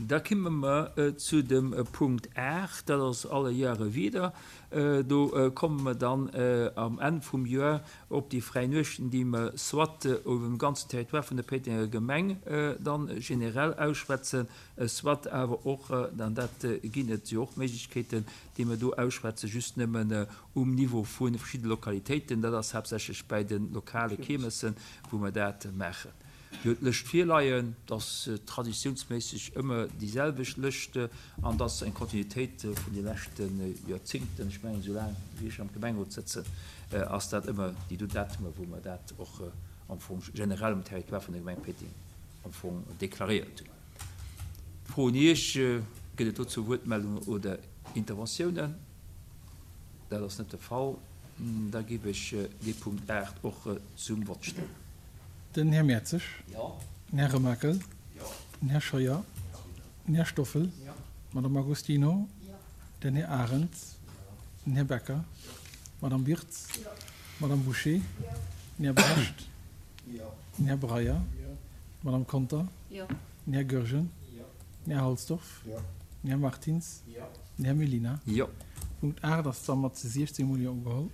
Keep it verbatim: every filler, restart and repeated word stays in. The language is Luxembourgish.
Da kimme mer zu dem Punkt aacht, dat ass alle Jahre wieder. Do komme mer dann am Enn vum Joer op déi fräi Nuechten, déi mer soit op dem ganzen Territoire vun der Péitenger Gemeng dann generell ausschwätzen, soit awer och, an dat ginn et jo och Méiglechkeeten, déi mer do ausschwätzen, just nëmmen um Niveau vu verschidde Lokalitéiten. Dat ass haaptsächlech bäi de lokale Kiermessen, wou mer dat maachen. Dir hutt d'Lëscht virleien. Et ass traditiounsméisseg ëmmer déi selwecht Lëscht an et ass eng Kontinuitéit vun de leschte Joerzingten. Ech mengen, esou laang wéi ech am Gemengerot sëtzen, ass dat ëmmer déi do Datumer, wou mer dat och am Fong generell um Territoire vun der Gemeng Péiteng am Fong deklaréiert hunn. Fro un Iech, Gëtt et dozou Wuertmeldungen oder Interventiounen? Dat ass net de Fall. Da géif ech dee Punkt aacht och zum Vott stellen. Den Här Mertzig. Den Här Remakel. Den Här Scheuer. Den Här Stoffel. D'Madame Agostino. Den Här Arendt. Den Här Becker. D'Madame Wirtz. D'Madame Bouché. Den Här Brecht. Den Här Breyer. D'Madame Conter. Den Här Goergen. Den Här Halsdorf. Den Här Martins. Den Här Mellina. Punkt aacht ass da mat siechzéng mol Jo ugeholl.